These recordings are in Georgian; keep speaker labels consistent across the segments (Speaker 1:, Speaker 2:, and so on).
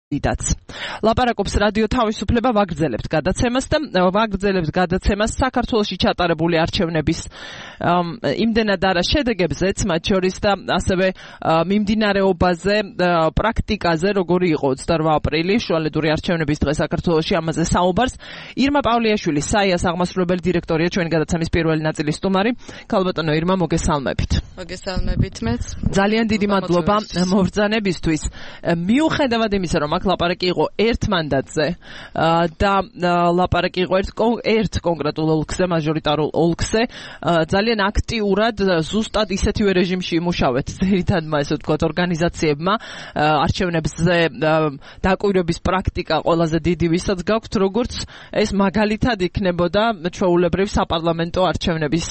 Speaker 1: დიდაც. ლაპარაკობს რადიო თავისუფლება ვაგრძელებთ გადაცემას და ვაგრძელებთ გადაცემას საქართველოში ჩატარებული არჩევნების იმდენად არა შედეგებზეც, მათ შორის და ასევე მიმდინარეობაზე, პრაქტიკაზე, როგორი იყო 28 აპრილი, შუალედური არჩევნების დღე საქართველოში, ამაზე საუბარს. ირმა პავლიაშვილი, საიას აღმასრულებელი დირექტორია, ჩვენი გადაცემის პირველი ნაწილის სტუმარი. ქალბატონო ირმა, მოგესალმებით.
Speaker 2: მოგესალმებით მეც.
Speaker 1: ძალიან დიდი მადლობა მობრძანებისთვის. მიუხედავად იმისა, რომ აქ ლაპარაკი იყო ერთ მანდატზე და ლაპარაკი იყო ერთ კონკრეტულ ოლქზე, მაჟორიტარულ ოლქზე, ძალიან აქტიურად ზუსტად ისეთივე რეჟიმში იმუშავეთ ძირითადმა, ესე ვთქვათ, ორგანიზაციებმა, არჩევნებზე დაკვირვების პრაქტიკა ყველაზე დიდი ვისაც გაქვთ, როგორც ეს მაგალითად იქნებოდა ჩვეულებრივ საპარლამენტო არჩევნების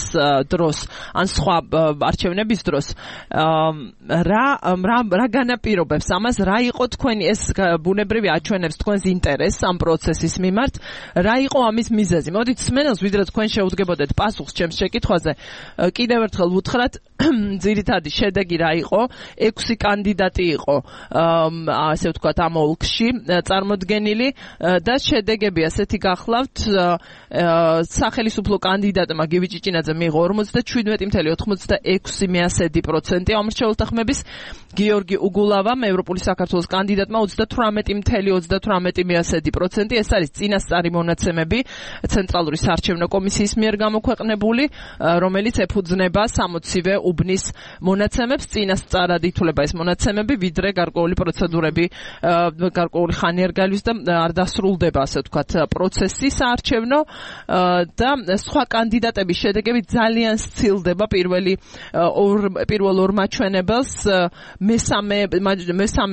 Speaker 1: დროს, ან სხვა არჩევნების დროს. რა განაპირობებს ამას, რა იყო თქვენი ეს ბუნებრივი აჩვენებს თქვენს ინტერესს ამ პროცესის მიმართ, რა იყო ამის მიზეზი? მოდით სმენელს, ვიდრე თქვენ შეუდგებოდეთ პასუხს ჩემს შეკითხვაზე, კიდევ ერთხელ ვუთხრათ, ძირითადი შედეგი რა იყო? 6 კანდიდატი იყო, ასე ვთქვათ, ამ ოლქში წარმოდგენილი და შედეგები ასეთი გახლავთ. სახელმწიფო კანდიდატმა გივი ჭიჭინაძე მიიღო 47.86% ამორჩეულთა ხმების, გიორგი უგულავამ, ევროპული საქართველოს კანდიდატმა 38.38%. ეს არის წინასწარი მონაცემები ცენტრალური საარჩევნო კომისიის მიერ გამოქვეყნებული, რომელიც ეფუძნება 60-ვე უბნის მონაცემებს. წინასწარად ითვლება ეს მონაცემები, ვიდრე გარკვეული პროცედურები, გარკვეული ხანი არ გალის და არ დასრულდება, ასე ვთქვათ, პროცესი საარჩევნო და სხვა კანდიდატების შედეგები ძალიან სცილდება. პირველ ორ მაჩვენებელს მესამე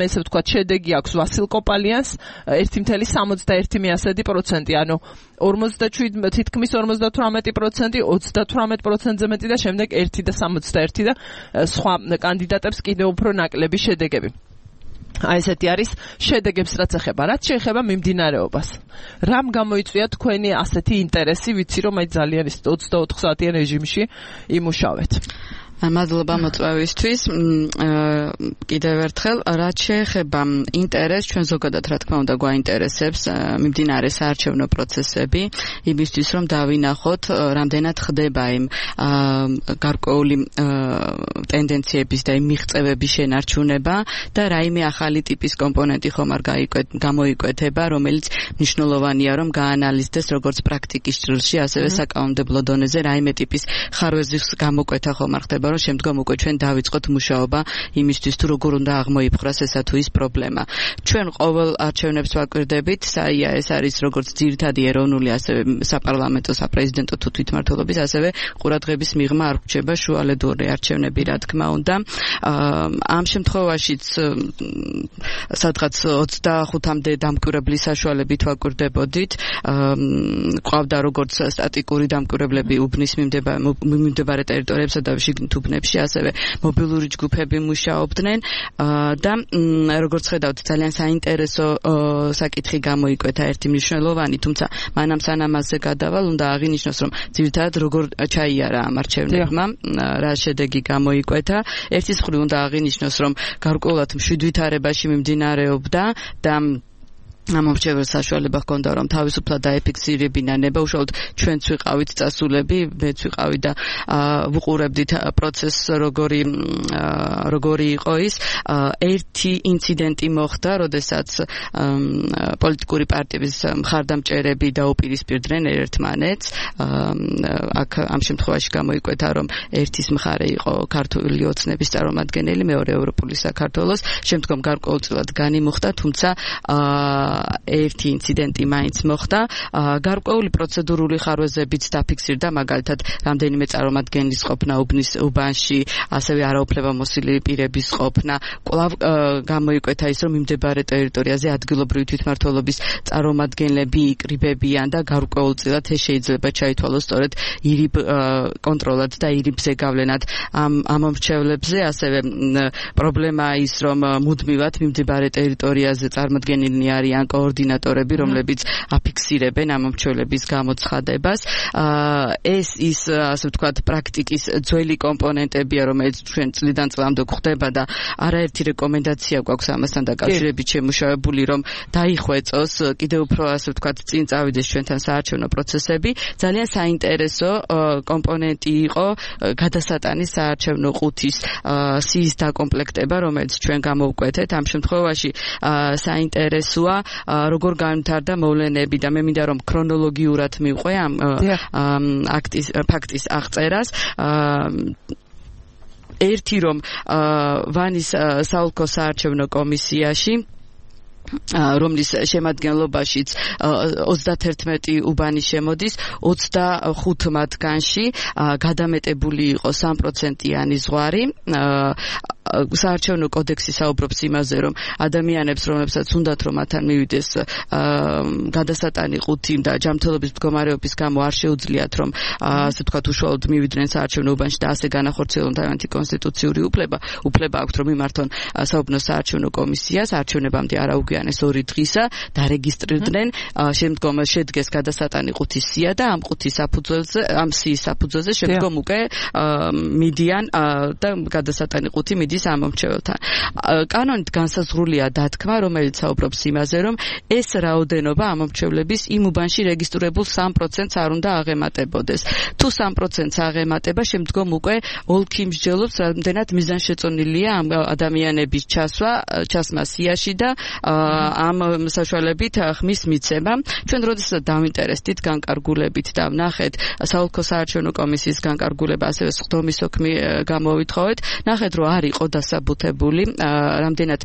Speaker 1: ესე ვთქვათ შედეგი აქვს ვასილ კოპალიანს 1.71%, ანუ 47 თითქმის 58%, 38%-ზე მეტი და შემდეგ 1.61 და სხვა კანდიდატებს კიდევ უფრო ნაკლები შედეგები. აი ესეთი არის შედეგებს რაც ეხება. რაც შეეხება მიმდინარეობას. რამ გამოიწვია თქვენი ასეთი ინტერესი, ვიცი რომ აი ძალიან ის 24 საათიან რეჟიმში იმუშავეთ.
Speaker 2: მადლობა მოწვევისთვის. კიდევ ერთხელ, რაც შეეხება ინტერესს, ჩვენ ზოგადად რა თქმა უნდა გვაინტერესებს მიმდინარე საარჩევნო პროცესები, იმისთვის რომ დავინახოთ, რამდენად ხდება იმ გარკვეული ტენდენციების და იმ მიღწევების შენარჩუნება და რაიმე ახალი ტიპის კომპონენტი ხომ არ გამოიკვეთება, რომელიც მნიშვნელოვანია რომ გაანალიზდეს როგორც პრაქტიკის ჭრილში, ასევე საკანონმდებლო დონეზე რაიმე ტიპის ხარვეზის გამოკვეთა ხომ არ ხდება, რომ შემდგომ უკვე ჩვენ დავიწყოთ მუშაობა იმისთვის თუ როგორ უნდა აღმოიფხვრას ესა თუ ის პრობლემა. ჩვენ ყოველ არჩევნებს ვაკვირდებით, საია ეს არის როგორც ძირითადი ეროვნული, ასევე საპარლამენტო, საპრეზიდენტო თუ თვითმმართველობის, ასევე ყურადღების მიღმა არ ვრჩება შუალედური არჩევნები, რა თქმა უნდა. ამ შემთხვევაშიც სადღაც 25-მდე დამკვირვებლის საშუალებით ვაკვირდებოდით. ყავდა როგორც სტატიკური დამკვირვებლები უბნის მიმდებარე ტერიტორიებსა და შიგნით უბნებში, ასევე მობილური ჯგუფები მუშაობდნენ და როგორც ხედავთ, ძალიან საინტერესო საკითხი გამოიკვეთა, ერთი მნიშვნელოვანი, თუმცა მანამ სანამ მასზე გადავალ, უნდა აღინიშნოს, რომ ძირითადად როგორ ჩაიარა ამ არჩევნებმა, რა შედეგი გამოიკვეთა. ერთის მხრივ უნდა აღინიშნოს, რომ გარკვეულად მშვიდვითარებაში მიმდინარეობდა და ამორჩეველს საშუალება ჰქონდა, რომ თავისუფლად დაეფიქსირებინა ნება, უშუალოდ ჩვენც ვიყავით წასულები, მეც ვიყავი და ვუყურებდით პროცესს როგორი იყო ის. ერთი ინციდენტი მოხდა, როდესაც პოლიტიკური პარტიების მხარდამჭერები დაუპირისპირდნენ ერთმანეთს. აქ ამ შემთხვევაში გამოიკვეთა, რომ ერთის მხარე იყო ქართული ოცნების წარმომადგენელი, მეორე ევროპული საქართველოს, შემდგომ გარკვეულწილად განიმუხტა, თუმცა ერთი ინციდენტი მაინც მოხდა. გარკვეული პროცედურული ხარვეზებიც დაფიქსირდა, მაგალითად, რამდენიმე წარმომადგენლის ყოფნა უბნის უბანში, ასევე არაუფლებამოსილი პირების ყოფნა. კვლავ გამოიკვეთა ის, რომ მიმდებარე ტერიტორიაზე ადგილობრივი თვითმმართველობის წარმომადგენლები იკრიბებიან და გარკვეულწილად ეს შეიძლება ჩაითვალოს სწორედ ირიბ კონტროლად და ირიბზე გავლენად ამ მომრჩევლებზე. ასევე პრობლემაა ის, რომ მუდმივად მიმდებარე ტერიტორიაზე წარმოდგენილნი არიან არიან კოორდინატორები, რომლებიც აფიქსირებენ ამ მომრჩევლების გამოცხადებას. ეს ის ასე ვთქვათ პრაქტიკის ძველი კომპონენტებია, რომელიც ჩვენ წლიდან წლამდე გვხდება და არაერთი რეკომენდაცია გვაქვს ამასთან დაკავშირებით შემუშავებული, რომ დაიხვეწოს კიდევ უფრო ასე ვთქვათ წინ წავიდეს ჩვენთან საარჩევნო პროცესები. ძალიან საინტერესო კომპონენტი იყო გადასატანის საარჩევნო ყუთის სიის დაკომპლექტება, რომელიც ჩვენ გამოვკვეთეთ. ამ შემთხვევაში საინტერესოა როგორ განვითარდა მოვლენები და მე მინდა რომ ქრონოლოგიურად მივყვე ამ ფაქტის აღწერას. ერთი რომ ვანის საოლქო საარჩევნო კომისიაში რომლის შემადგენლობაშიც 31 უბანი შემოდის, 25 მათგანში გადამეტებული იყო 3%-იანი ზღვარი. საარჩევნო კოდექსი საუბრობს იმაზე, რომ ადამიანებს, რომლებსაც უნდათ რომ მათთან მივიდეს გადასატანი ყუთი და ჯანმრთელობის მდგომარეობის გამო არ შეუძლიათ რომ ასე ვთქვათ უშუალოდ მივიდნენ საარჩევნო უბანში და ასე განახორციელონ თავიანთი კონსტიტუციური უფლება აქვთ რომ მიმართონ საუბნო საარჩევნო კომისიას, არჩევნებამდე არ აუგვიანეს 2 დღისა, დარეგისტრირდნენ, შემდგომ შედგეს გადასატანი ყუთის სია და ამ ყუთის საფუძველზე, ამ სიის საფუძველზე შემდგომ უკვე მიდიან და გადასატანი ყუთი მიდის ამ მომრჩეველთან. კანონით განსაზღვრულია დათქმა, რომელიც საუბრობს იმაზე, რომ ეს რაოდენობა ამ მომრჩევლების იმ უბანში რეგისტრირებულ 3%-ს არ უნდა აღემატებოდეს. თუ 3%-ს აღემატება, შემდგომ უკვე ოლქი მსჯელობს, რამდენად მიზანშეწონილია ამ ადამიანების ჩასმა სიაში და ამ საშუალებით ხმის მიცემა. ჩვენ როდესაც დავინტერესდით განკარგულებით და ვნახეთ საოლქო საარჩევნო კომისიის განკარგულება, ასევე სხდომის ოქმი გამოვითხოვეთ, ნახეთ რომ არ იყო დასაბუთებული, რამდენად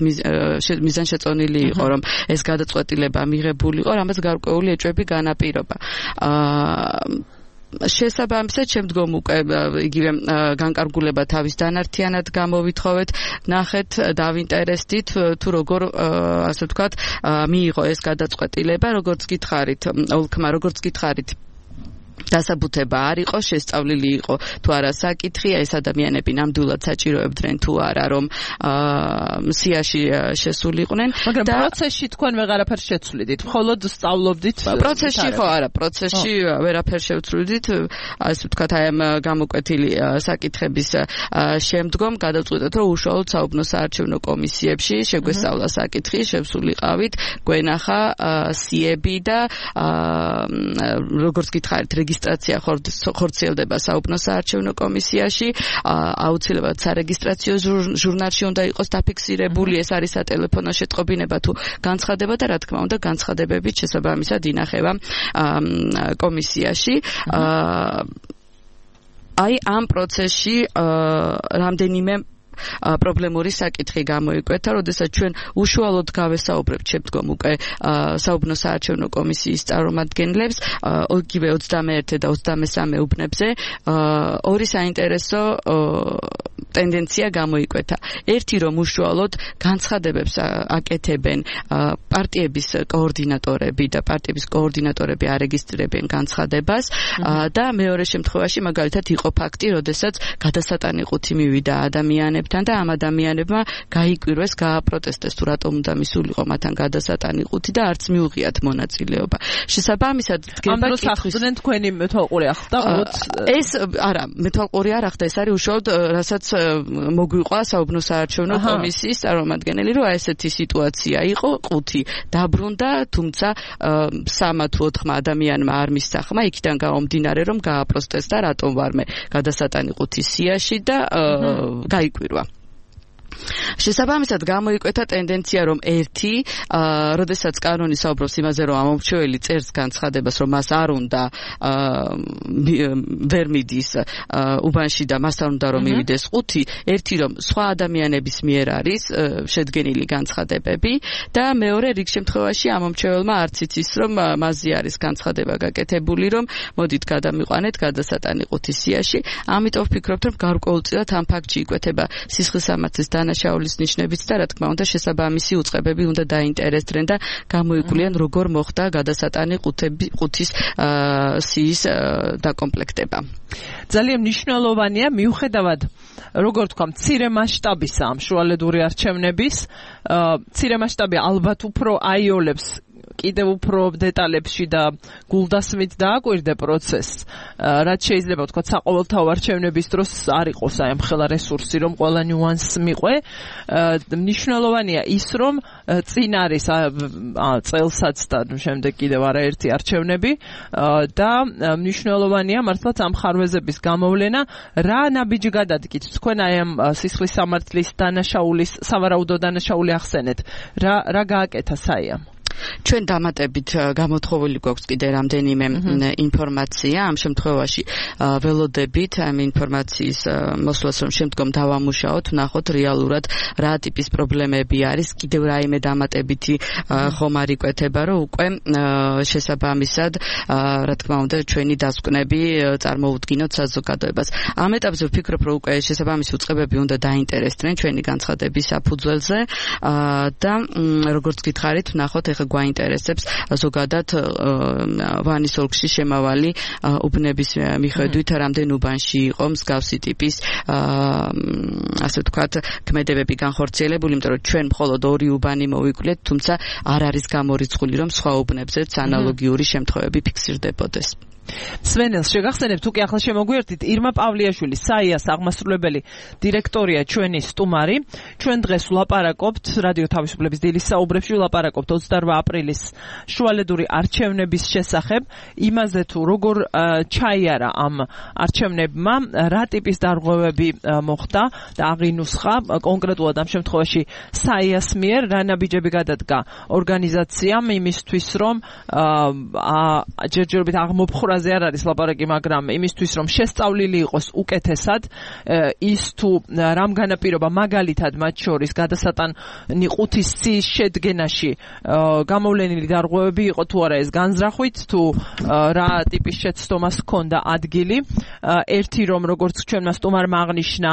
Speaker 2: მიზანშეწონილი იყო, რომ ეს გადაწყვეტილება მიღებულიყო, რამაც გარკვეული ეჭვები განაპირობა. შესაბამისად შემდგომ უკვე იგივე განკარგულება თავის დანართიანად გამოვითხოვეთ, ნახეთ, დავინტერესდით თუ როგორ ასე ვთქვათ მიიღო ეს გადაწყვეტილება, როგორც გითხარით, ოლქმა როგორც გითხარით დასაბუთება არ იყო, შესწავლილი იყო თუ არა საკითხი, ეს ადამიანები ნამდვილად საჭიროებდნენ თუ არა რომ სიაში შესულიყვნენ.
Speaker 1: მაგრამ პროცესში თქვენ ვეღარაფერს შეცვლიდით, მხოლოდ სწავლობდით.
Speaker 2: პროცესში ხო არა, პროცესში ვერაფერს შევცვლიდით, ასე ვთქვათ, აი ამ გამოკვეთილი საკითხების შემდგომ გადავწყვიტეთ, რომ უშუალოდ საუბნო საარჩევნო კომისიებში შეგვესწავლა საკითხი, შევსულიყავით, გვენახა სიები და როგორც გითხარით, რეგისტრაცია ხორციელდება საუბნო საარჩევნო კომისიაში, აუცილებლად სარეგისტრაციო ჟურნალში უნდა იყოს დაფიქსირებული, ეს არის სატელეფონო შეტყობინება თუ განცხადება და რა თქმა უნდა განცხადებებით შესაბამისად ინახება კომისიაში. აი ამ პროცესში რამდენიმე პრობლემური საკითხი გამოიკვეთა, როდესაც ჩვენ უშუალოდ გავესაუბრებთ შემდგომ უკვე საუბნო საარჩევნო კომისიის წარმომადგენლებს, იგივე 21 და 23 უბნებზე, ორი საინტერესო ტენდენცია გამოიკვეთა. ერთი რომ უშუალოდ განცხადებებს აკეთებენ პარტიების კოორდინატორები და პარტიების კოორდინატორები არეგისტრირებენ განცხადებას და მეორე შემთხვევაში მაგალითად იყო ფაქტი, როდესაც გადასატანი ყუთი მივიდა ადამიანებთან და ამ ადამიანებმა გაიკვირვეს, გააპროტესტეს თუ რატომ უნდა მისულიყო მათთან გადასატანი ყუთი და არც მიუღიათ მონაწილეობა. შესაბამისად დგება კითხვის
Speaker 1: თქვენი მეთვალყური ახდა
Speaker 2: ეს არა, მეთვალყური არ ახდა, ეს არის უშუალოდ რასაც მოგვიყვა საუბნო საარჩევნო კომისიის წარმომადგენელი, რომ ესეთი სიტუაცია იყო, ყუთი დაბრუნდა, თუმცა 3 თუ 4 ადამიანმა არ მისახმა, იქიდან გამომდინარე, რომ გააპროტესტა, რატომ ვარმე გადასატანი ყუთის სიაში და გაიკვირვა. შესაბამისად გამოიკვეთა ტენდენცია, რომ ერთი, როდესაც კანონი საუბრობს იმაზე, რომ ამომრჩეველი წერს განცხადებას, რომ მას არ უნდა ვერ მიდის უბანში და მას არ უნდა რომ მივიდეს ყუთი, ერთი რომ სხვა ადამიანების მიერ არის შედგენილი განცხადებები და მეორე რიგ შემთხვევაში ამომრჩეველმა არც იცის, რომ მასზე არის განცხადება გაკეთებული, რომ მოდით გადამიყვანეთ გადასატანი ყუთის სიაში. ამიტომ ვფიქრობთ, რომ გარკვეულწილად ამ ფაქტში იკვეთება სისხლისამართლის დანაშაულის ნიშნებიც და რა თქმა უნდა შესაბამისი უწყებები უნდა დაინტერესდნენ და გამოიკვლიან როგორ მოხდა გადასატანი ყუთის სიის დაკომპლექტება.
Speaker 1: ძალიან მნიშვნელოვანია მიუხედავად როგორ თქვა მცირე მასშტაბისა ამ შუალედური არჩევნების, მცირე მასშტაბი ალბათ უფრო აიოლებს კიდევ უფრო დეტალებში და გულდასმით დააკვირდე პროცესს, რაც შეიძლება ვთქვათ საყოველთაო არჩევნების დროს არ იყოს აი ამ ხელა რესურსი, რომ ყველა ნიუანსს მიყვე. მნიშვნელოვანია ის, რომ წინ არის წელსაც და შემდეგ კიდევ არაერთი არჩევნები და მნიშვნელოვანია მართლაც ამ ხარვეზების გამოვლენა. რა ნაბიჯი გადადგით თქვენ აი ამ სისხლის სამართლის დანაშაულის სავარაუდო დანაშაული ახსენეთ. რა გააკეთა საიამ?
Speaker 2: ჩვენ დამატებით გამოთხოვილი გვაქვს კიდე რამდენიმე ინფორმაცია. ამ შემთხვევაში ველოდებით ამ ინფორმაციის მოსვლას, რომ შემდგომ დავამუშაოთ, ვნახოთ რეალურად რა ტიპის პრობლემები არის. კიდევ რაიმე დამატებითი ხომ არ იკვეთება, რომ უკვე შესაბამისად, რა თქმა უნდა, ჩვენი დასკვნები წარმოუდგინოთ საზოგადოებას. ამ ეტაპზე ვფიქრობ, რომ უკვე შესაბამისი უწყებები უნდა დაინტერესდნენ ჩვენი განცხადების საფუძველზე და როგორც გითხარით, ვნახოთ ეხლა გვაინტერესებს ზოგადად ვანის ოლქში შემავალი უბნების მიხედვით რამდენ უბანში იყო მსგავსი ტიპის ასე ვთქვათ ქმედებები განხორციელებული, იმიტომ რომ ჩვენ მხოლოდ 2 უბანი მოვიკვლიეთ, თუმცა არ არის გამორიცხული, რომ სხვა უბნებზეც ანალოგიური შემთხვევები ფიქსირდებოდეს. სვენელს
Speaker 1: შეგახსენებთ, თუ კი ახლა შემოგვიერთით, ირმა პავლიაშვილი, საიას აღმასრულებელი დირექტორია ჩვენი სტუმარი. ჩვენ დღეს ვლაპარაკობთ რადიო თავისუფლების დილის საუბრებში, ვლაპარაკობთ 28 აპრილის შუალედური არჩევნების შესახებ, იმაზე თუ როგორ ჩაიარა ამ არჩევნებმა, რა ტიპის დარღვევები მოხდა და აღინუსხა კონკრეტულად ამ შემთხვევაში საიას მიერ, რა ნაბიჯები გადადგა ორგანიზაციამ იმისთვის, რომ ჯერჯერობით აღმოფხვრაზე არ არის ლაპარაკი, მაგრამ იმისთვის, რომ შესწავლილი იყოს უკეთესად, ის თუ რამ განაპირობა მაგალითად მათ შორის გადასატანი ყუთის ციის შედგენაში გამოვლენილი დარღვევები იყო თუ არა ეს განზრახვით, თუ რა ტიპის შეცდომას ჰქონდა ადგილი. ერთი რომ როგორც ჩვენმა სტუმარმა აღნიშნა,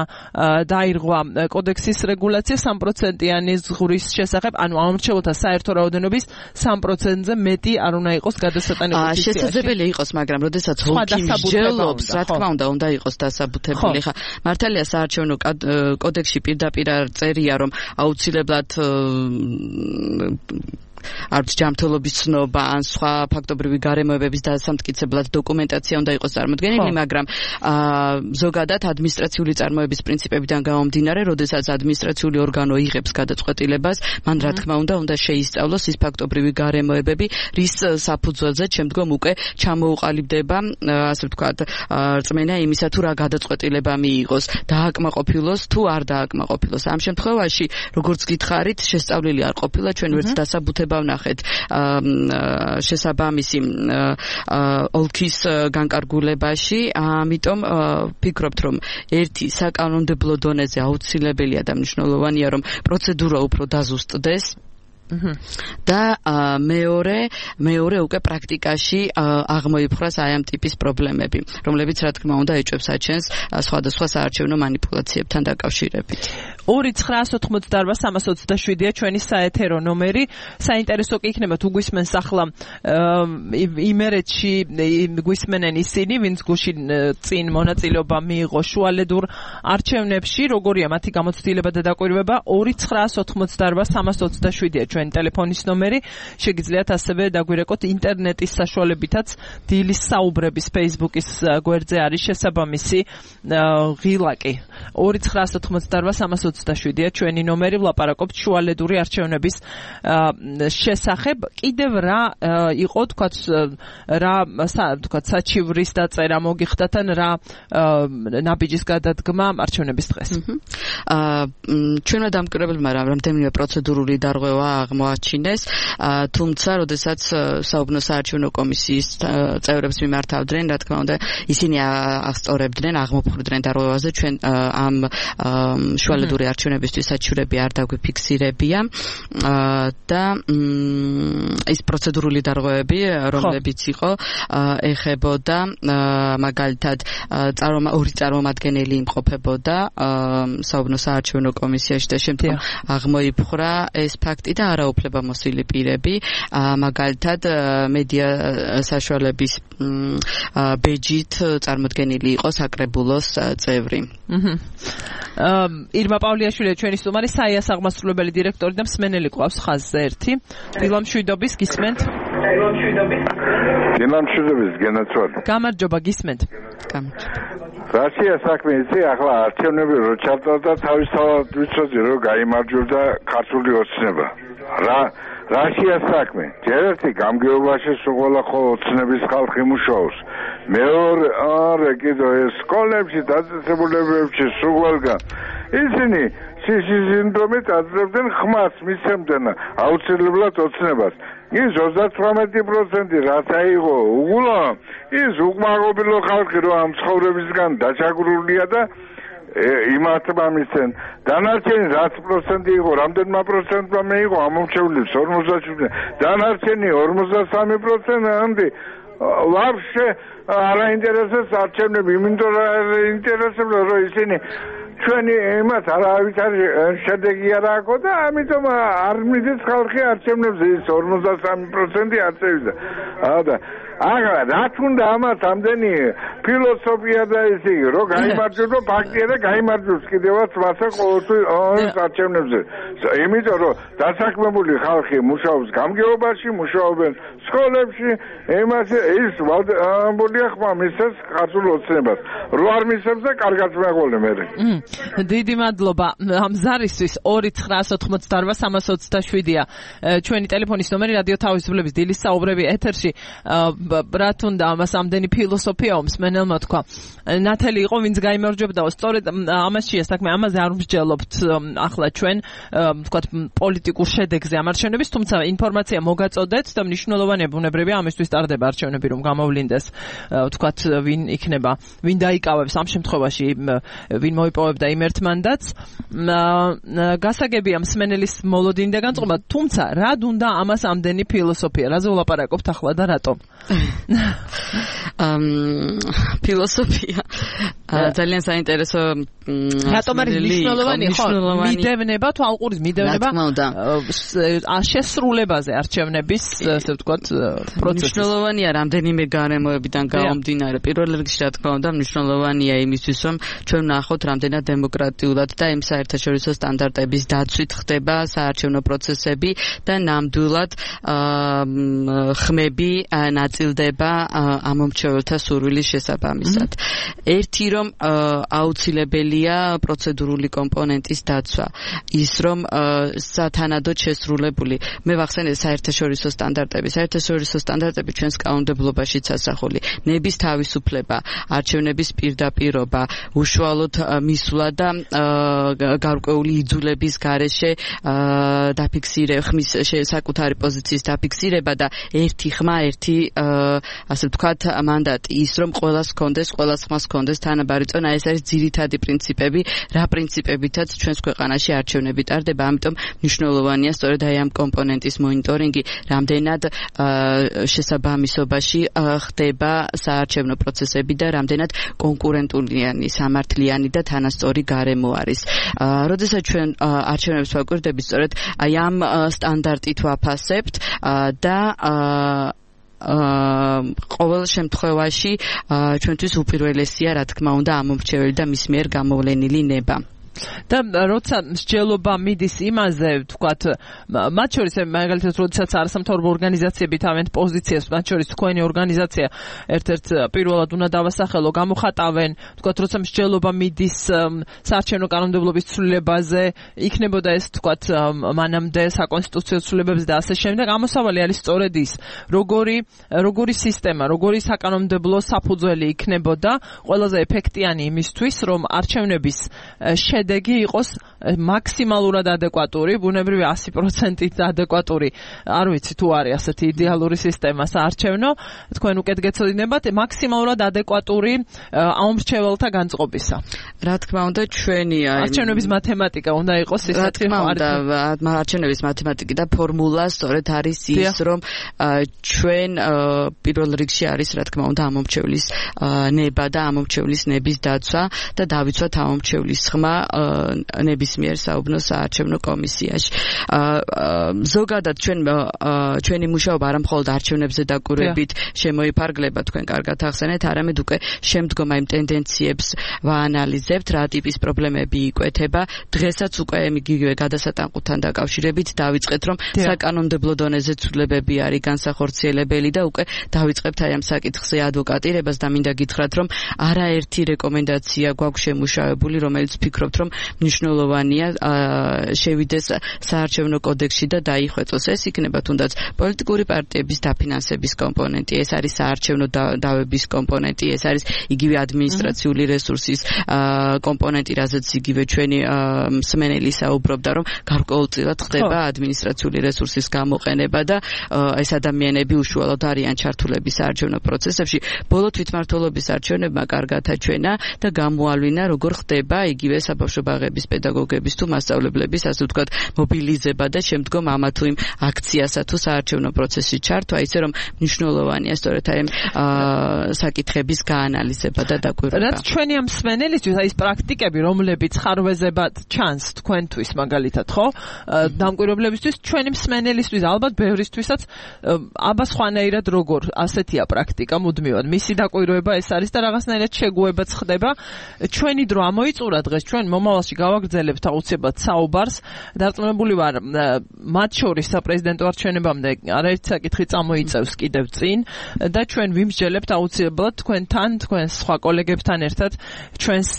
Speaker 1: დაირღვა კოდექსის რეგულაცია 3%-იანი ზღურის შესახებ, ანუ ამორჩეულთა საერთო რაოდენობის 3%-ზე მეტი არ უნდა იყოს გადასატანი ყუთის ციაში.
Speaker 2: შესაძლებელი იყოს, მაგრამ როდესაც ოლქი მსჯელობს, რა თქმა უნდა იყოს დასაბუთებული. ხა მართალია საარჩევნო კოდექსში პირდაპირ წერია, რომ აუცილებლად არც ჯანმრთელობის ცნობა ან სხვა ფაქტობრივი გარემოებების დასამტკიცებლად დოკუმენტაცია უნდა იყოს წარმოდგენილი, მაგრამ ზოგადად ადმინისტრაციული წარმოების პრინციპებიდან გამომდინარე, როდესაც ადმინისტრაციული ორგანო იღებს გადაწყვეტილებას, მან რა თქმა უნდა შეისწავლოს ის ფაქტობრივი გარემოებები, რის საფუძველზეც შემდგომ უკვე ჩამოუყალიბდება, ასე ვთქვათ, რწმენა იმისა, თუ რა გადაწყვეტილება მიიღოს, დააკმაყოფილოს თუ არ დააკმაყოფილოს. ამ შემთხვევაში, როგორც გითხარით, შესწავლილი არ ყოფილა, ჩვენ ვერც დასაბუთება ვნახეთ შესაბამისი ოლქის განკარგულებაში, ამიტომ ვფიქრობთ, რომ ერთი საკანონმდებლო დონეზე აუცილებელია და მნიშვნელოვანია, რომ პროცედურა უფრო დაზუსტდეს. და მეორე უკვე პრაქტიკაში აღმოიფხვრას აი ამ ტიპის პრობლემები, რომლებიც რა თქმა უნდა ეჭვებს აჩენს სხვადასხვა საარჩევნო манипуляციებთან დაკავშირებით. 2988327-ია ჩვენი საეთერო ნომერი. საინტერესო კი იქნება თუ გვისმენს ახლა იმერეთში გვისმენენ ისინი, ვინც გუშინ წინ მონაწილეობა მიიღო შუალედურ არჩევნებში, როგორია მათი გამოცდილება და დაკვირვება. 2988327-ია ჩვენი ტელეფონის ნომერი. შეგიძლიათ ასევე დაგვირეკოთ ინტერნეტის საშუალებითაც. დილის საუბრების Facebook-ის გვერდზე არის შესაბამისი ღილაკი. 2988327-ია ჩვენი ნომერი. ვლაპარაკობთ შუალედური არჩევნების შესახებ. კიდევ რა იყო, თქვათ, საჩივრის დაწერა მოგიხდათ ან რა ნაბიჯის გადადგმა არჩევნების დღეს. ჩვენმა დამკვირვებლებმა რამდენიმე პროცედურული დარღვევა აღმოაჩინეს, თუმცა როდესაც საუბნო საარჩევნო კომისიის წევრებს მიმართავდნენ, რა თქმა უნდა, ისინი აღსწორებდნენ, აღმოფხვრდნენ დარღვევაზე, ჩვენ ამ შუალედური არჩევნებისთვის საჩივრები არ დაგვიფიქსირებია და ის პროცედურული დარღვევები, რომლებიც იყო, ეხებოდა მაგალითად ორი წარმომადგენელი იმყოფებოდა საუბნო საარჩევნო კომისიაში და შემდგომ აღმოიფხვრა ეს ფაქტი და არაუფლებამოსილი პირები, მაგალითად მედია საშუალების ბეჯით წარმოდგენილი იყო საკრებულოს წევრი.
Speaker 1: ირმა პავლიაშვილი ჩვენი სტუმარი, საიას აღმასრულებელი დირექტორი და მსმენელი ყავს ხაზზე ერთი. დილა მშვიდობის, გისმენთ?
Speaker 3: დილა მშვიდობის, გენაცვალე.
Speaker 1: გამარჯობა, გისმენთ?
Speaker 3: რაშია საქმე იცი, ახლა არჩევნები რო ჩატარდა, თავისთავად ვიცოდი რომ გაიმარჯვდა ქართული ოცნება. რაშია საქმე? ჯერ ერთი გამგეობაში სულ ხო ოცნების ხალხი მუშაობს. მეორე კიდევ ეს სკოლებში, დაწესებულებებში სულგან ისინი სინდრომით აძლევდნენ ხმას, მისცემდნენ აუცილებლად ოცნებას. ის 38% რაც აიღო უგულა, ის უკმაყოფილო ხალხი რო ამ ცხოვრებისგან დაჩაგრულია და იმართება მისცენ. დანარჩენი რაც პროცენტი იყო, რამდენმა პროცენტმა მეიღო ამომრჩევლებს 47%. დანარჩენი 53% ვაფშე არ აინტერესებს არჩევნები, იმიტომ რომ ინტერესებს რომ ისინი ჩვენი იმათ არავითარი შედეგი არ აქვს და ამიტომ არ მიდის ხალხი არჩევნებზე, ის 53% არ წევიდა. და აღარა რაც უნდა ამას ამდენი ფილოსოფია და ისე რომ გაიმარჯვოს ფაქტია და გაიმარჯვოს კიდევაც მასა ყოველთვის არჩევნებზე. იმიტომ რომ დასაქმებული ხალხი მუშაობს გამგეობაში, მუშაობენ სკოლებში, იმასე ის ვალდებულია ხმა მისცეს ქართულ ოცნებას. რო არ მისცემს და კარგად მეყოლე მე.
Speaker 1: დიდი მადლობა ამ ზარისთვის 2988327-ია ჩვენი ტელეფონის ნომერი, რადიო თავისუფლების დილის საუბრები ეთერში. ბრათ უნდა ამას ამდენი ფილოსოფიაო მსმენელმა თქვა. ნათელი იყო ვინც გაიმარჯვებდაო, სწორედ ამაშია საქმე, ამაზე არ ვმსჯელობთ ახლა ჩვენ თქვა პოლიტიკურ შედეგზე ამ არჩევნების, თუმცა ინფორმაცია მოგაწოდეთ და მნიშვნელოვანია ბუნებრივია ამისთვის ტარდება არჩევნები რომ გამოვლინდეს თქვა ვინ იქნება, ვინ დაიკავებს ამ შემთხვევაში, ვინ მოიპოვებდა იმ ერთ მანდატს. გასაგებია მსმენელის მოლოდინი და განწყობა, თუმცა რად უნდა ამას ამდენი ფილოსოფია, რაზე ვლაპარაკობთ ახლა და რატომ?
Speaker 2: ფილოსოფია ძალიან საინტერესო
Speaker 1: რატომ არის მნიშვნელოვანი, ხო? მიდევნება, თვალყურის მიდევნება შესრულებაზე არჩევნების, ასე ვთქვათ, პროცესის.
Speaker 2: მნიშვნელოვანია რამდენიმე გარემოებიდან გამომდინარე. პირველ რიგში, რა თქმა უნდა, მნიშვნელოვანია იმისთვის, რომ ჩვენ ვნახოთ რამდენად დემოკრატიულად და იმ საერთაშორისო სტანდარტების დაცვით ხდება საარჩევნო პროცესები და ნამდვილად ხმები ნაწილდება ამომრჩეველთა სურვილის შესაბამისად. ერთი რომ აუცილებელია პროცედურული კომპონენტის დაცვა, ის რომ სათანადოდ შესრულებული. მე ვახსენე საერთაშორისო სტანდარტები. საერთაშორისო სტანდარტები ჩვენს კანონმდებლობაშიც ასახული. ნების თავისუფლება, არჩევნების პირდაპირობა, უშუალოდ მისვლა და გარკვეული იძულების გარეშე ხმის საკუთარი პოზიციის დაფიქსირება და ერთი ხმა, ერთი ასე ვთქვათ მანდატი, ის რომ ყველას ჰქონდეს, ყველას ხმას ჰქონდეს თანაბარი წონა, ეს არის ძირითადი პრინციპები, რა პრინციპებითაც ჩვენს ქვეყანაში არჩევნები ტარდება, ამიტომ მნიშვნელოვანია სწორედ აი ამ კომპონენტის მონიტორინგი, რამდენად შესაბამისობაში ხდება საარჩევნო პროცესები და რამდენად კონკურენტულიანი, სამართლიანი და თანასწორი გარემო არის. როდესაც ჩვენ არჩევნებს ვაკვირდებით, სწორედ აი ამ სტანდარტით ვაფასებთ და ყოველ შემთხვევაში ჩვენთვის უპირველესია, რა თქმა უნდა, ამომრჩეველი და მის მიერ გამოვლენილი ნება.
Speaker 1: და როცა მსჯელობა მიდის იმაზე, ვთქვათ, მათ შორის მაგალითად, როდესაც არასამთავრობო ორგანიზაციები თავიანთ პოზიციას, მათ შორის თქვენი ორგანიზაცია ერთ-ერთ პირველად უნდა დავასახელო, გამოხატავენ, ვთქვათ, როცა მსჯელობა მიდის საარჩევნო კანონმდებლობის ცვლილებაზე, იქნებოდა ეს, ვთქვათ, მანამდე საკონსტიტუციო ცვლილებებზე და ასე შემდეგ, ამოსავალი არის სწორედ ის, როგორი სისტემა, როგორი საკანონმდებლო საფუძველი იქნებოდა ყველაზე ეფექტიანი იმისთვის, რომ არჩევნების შედეგი იყოს მაქსიმალურად ადეკვატური, ბუნებრივი 100% ადეკვატური. არ ვიცი თუ არის ასეთი იდეალური სისტემა საარჩევნო, თქვენ უკეთ გეცოდინებათ, მაქსიმალურად ადეკვატური ამომრჩეველთა განწყობისა.
Speaker 2: რა თქმა უნდა, ჩვენი
Speaker 1: არჩევნების მათემატიკა უნდა იყოს ისეთი,
Speaker 2: არჩევნების მათემატიკა და ფორმულა სწორედ არის ის, რომ ჩვენ პირველ რიგში არის, რა თქმა უნდა, ამომრჩევლის ნება და ამომრჩევლის ნების დაცვა და დავიცვათ ამომრჩევლის ხმა ნებისმიერ საუბნო საარჩევნო კომისიაში. ზოგადად ჩვენი მუშაობა არა მხოლოდ არჩევნებზე დაკვირვებით შემოიფარგლება, თქვენ კარგად ახსენეთ, არამედ უკვე შემდგომ იმ ტენდენციებს ვაანალიზებთ, რა ტიპის პრობლემები იკვეთება. დღესაც უკვე იგივე გადასატანყუთან დაკავშირებით დავიწყეთ, რომ საკანონმდებლო დონეზე ცვლილებები არის განსახორციელებელი და უკვე დავიწყებთ აი ამ საკითხზე ადვოკატირებას და მინდა გითხრათ, რომ არაერთი რეკომენდაცია გვაქვს შემუშავებული, რომელიც ვფიქრობთ, რომ მნიშვნელოვანია შევიდეს საარჩევნო კოდექსში და დაიხვეწოს. ეს იქნება თუნდაც პოლიტიკური პარტიების დაფინანსების კომპონენტი, ეს არის საარჩევნო დავების კომპონენტი, ეს არის იგივე ადმინისტრაციული რესურსის კომპონენტი, რაზეც იგივე ჩვენი მსმენელი საუბრობდა, რომ გარკვეულწილად ხდება ადმინისტრაციული რესურსის გამოყენება და ეს ადამიანები უშუალოდ არიან ჩართულები საარჩევნო პროცესებში. ბოლო თვითმმართველობის არჩევნებმა კარგად აჩვენა და გამოავლინა, როგორ ხდება იგივე საბავშვო ბაღების პედაგოგების თუ მასწავლებლების, ასე ვთქვათ, მობილიზება და შემდგომ ამა თუ იმ აქციასა თუ საარჩევნო პროცესში ჩართვა, ისე რომ მნიშვნელოვანია სწორედ აი საკითხების გაანალიზება და დაკვირვება.
Speaker 1: რაც ჩვენი ამ მსმენელისთვის აი ეს პრაქტიკები, რომლებიც ხარვეზებად ჩანს თქვენთვის მაგალითად, ხო? დამკვირვებლებისთვის, ჩვენი მსმენელისთვის, ალბათ ბევრისთვისაც აბა სხვანაირად როგორ ასეთია პრაქტიკა მუდმივად. მისი დაკვირვება ეს არის და რაღაცნაირად შეგუებაც ხდება. ჩვენი დრო ამოიწურა დღეს, ჩვენ მომავალში გავაგრძელებთ აუცილებლად საუბარს. დარწმუნებული ვარ, მათ შორის საპრეზიდენტო არჩევნებამდე არაერთი საკითხი წამოიწევს კიდევ წინ და ჩვენ ვიმსჯელებთ აუცილებლად თქვენთან, თქვენ სხვა კოლეგებთან ერთად ჩვენს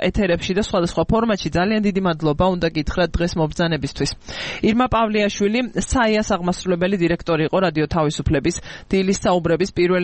Speaker 1: ეთერებში და სხვადასხვა ფორმატში. ძალიან დიდი მადლობა უნდა გითხრათ დღეს მობრძანებისთვის. ირმა პავლიაშვილი, საიას აღმასრულებელი დირექტორი იყო რადიო თავისუფლების დილის საუბრების პირველი